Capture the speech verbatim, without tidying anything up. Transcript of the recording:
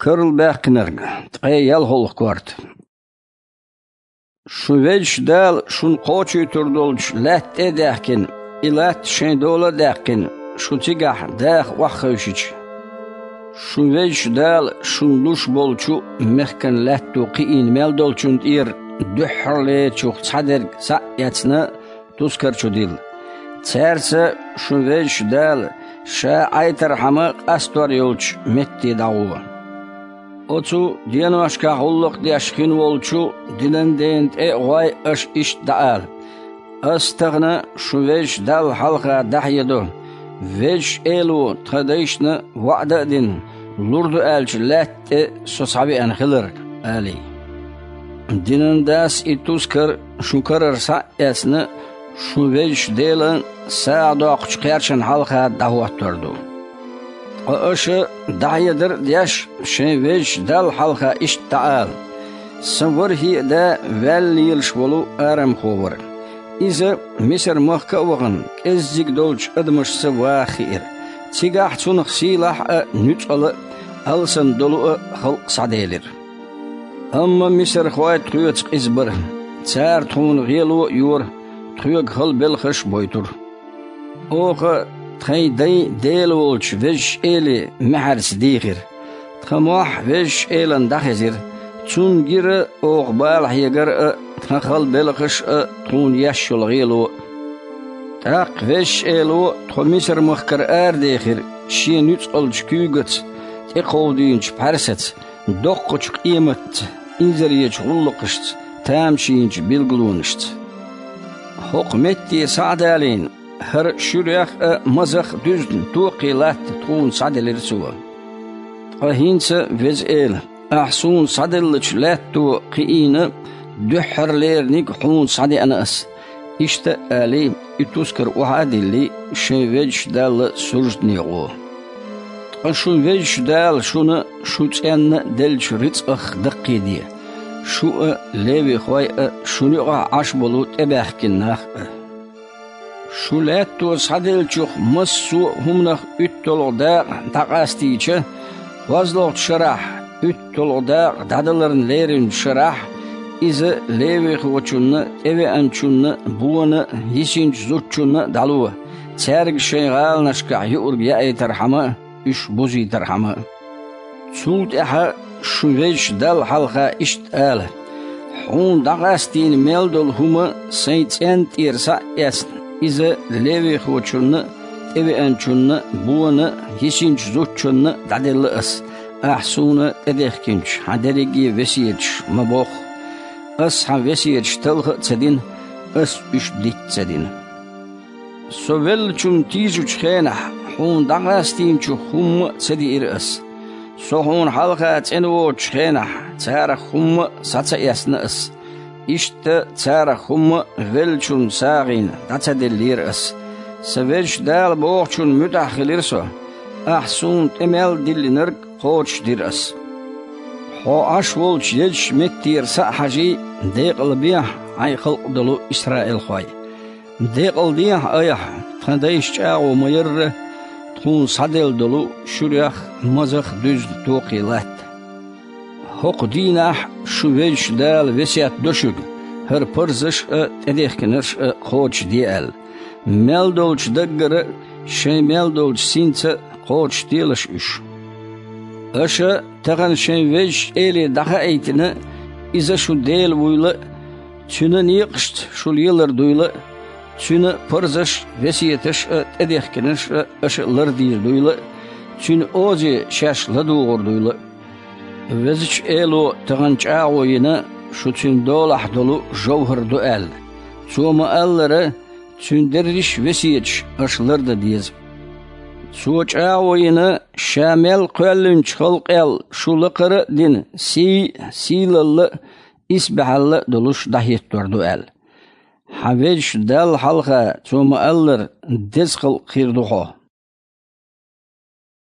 Карл баьккхинарг, ткъе ялхолгӀа корта. Шун Везачу Дала шуна кхочуьйтур долчу лаьтта тӀе а даьхкина, и латта шайн дола а даьккхина, шу цигахь даха охьахевшича, шун Везачу Дала шуна луш болчу мехкан лаьтто кхиийна мел долчунна тӀера дуьххьарлерачух цхьадерг схьа а эцна, тускар чу дилла. Цаьрца шун Везачу Дала Ша Ӏайтархьама къастор йолчу метте дӀагӀо. Оцу деношкахь гӀуллакх деш хин волчу динан дена тӀе а гӀой аша иштта дӀаала: «Ас тахана шун Везачу Далла хьалха дӀахьедо, Везачу Эло тхан дайшна ваӀда а дина, лур ду аьллачу лаьтта тӀе со схьавеана хиларг», — алий. Динан дас и тускар шун карара схьа а эцна, шун Везачу Делан сагӀа доккхучу кхерчана хьалха дӀахӀоттор ду. Ткъа аша, дӀахьедар а деш, шайн Везачу Далла хьалха иштта дӀаала: «Сан ворхӀе а да ваьлла лелаш волу арамхо вара. Иза Мисар-махка а вахана, кӀеззиг долчу адамашца ваха хиира. Цигахь цунах сийлахь а, нуьцкъала а, алсам долу а халкъ схьаделира. Амма мисархой тхоьца къиза бара. Цара тхуна гӀело а йора, тхоьга хала белхаш а бойтура. Оха тхайн дайн Дела волчу Везачу Эле маьхьарца дийхира. Тхан мохь Везачу Элана дӀахезира. Цунна гира оха бала хьегар а, тхан хала белхаш а, тхуна еш йолу гӀело а. ТӀаккха Везачу Эло тхо Мисар-махкара арадехира Шен нуьцкъалчу куьйгаца, тӀекховдийначу пхьаьрсаца, доккхачу къематца, инзаречу гӀуллакхашца, тамашийначу билгалонашца. ХӀокху метте схьа а далийна, хӀара шуьрех а, мазах а дуьзна токхе латта тхуна схьаделира Цо. Ткъа хӀинца, Веза Эла, Ахь суна схьаделлачу лаьтто кхиийна дуьххьарлерниг хьуна схьадеана ас», — иштта а алий, и тускар охьа а диллий, шайн Везачу Далла суждане гӀо. Ткъа шун Везачу Дала шуна шу цӀенна а деллачу рицкъах даккхийде, шу а, левихой а, шуна юкъахь Ӏаш болу тӀебаьхкина нах а. Шу лаьтто схьаделлачух массо а хӀуманах уьтталгӀа дакъа дӀакъастийча, кхозлагӀчу шарахь, уьтталгӀа дакъа дӀадаларна леринчу шарахь, иза левихочунна, тӀевеанчунна, бона а, йисинчу зудчунна а дӀало, цаьрга шайн гӀаланашкахь юург яийтархьама а, уьш бузийтархьама а. Цул тӀаьхьа шу Везачу Далла хьалха иштта ала: «Хьуна дӀакъастийна мел долу хӀума сайн цӀенна тӀера схьа а эцна, иза левихочунна а, тӀевеанчунна а, бона а, йисинчу зудчунна а дӀаделла ас, ахь суна тӀедехкинчу хьан дерриге а весеташ ма бохху. Ас хьан весеташ талха а ца дина, ас уьш дитта ца дина». Со веллачунна тийжучу хенахь, хьуна дӀакъастийначух хӀумма а ца диира ас. Со хьуна хьалха цӀена воцучу хенахь, царах хӀумма а схьа ца эцна ас. Иштта царах хӀумма а веллачунна сагӀина дӀа ца деллера ас. Сан Везачу Дала бохучунна муьтӀахь хилира со. Ахь суна тӀе мел диллинарг кхочушдира ас. Хьо Ӏаш волчу езачу меттера схьа а хьажий, декъалбехьа, хьайн халкъ долу исраилхой. Декъалдехьа айхьа, тхан дайша чӀагӀо ма-ярра, тхуна схьаделла долу шуьрех, мазах дуьзна токхе латта. ХӀокху дийнахь шу Везачу Дала весет до шуьга, хӀара парзаш а, тӀедехкинарш а кхочушде аьлла. Мел долчу даггара а, шайн мел долчу синца а кхочушделаш уьш. Аша тахана шайн Везачу Эле дӀахаийтина, Иза шун Дела вуйла а, Цуьнан некъашца шу лелар дуйла а, Цуьнан парзаш а, весеташ а, тӀедехкинарш а аша лардийр дуйла а, Цуьнан озе шаьш ладугӀур дуйла а. Везачу Эло тахана чӀагӀо йина, шу Цуьнан долахь долу жовхӀар ду аьлла. Цо ма-аллара, Цуьнан дерриш а весеташ аша лардан деза. Цо чӀагӀо йина, Ша мел кхоьллинчу халкъел шу лакхара а дина, сий а, сийлалла а, исбаьхьалла а долуш дӀахӀиттор ду аьлла. Хьан Везачу Далла хьалха Цо ма-аллара деза халкъ хир ду хьо.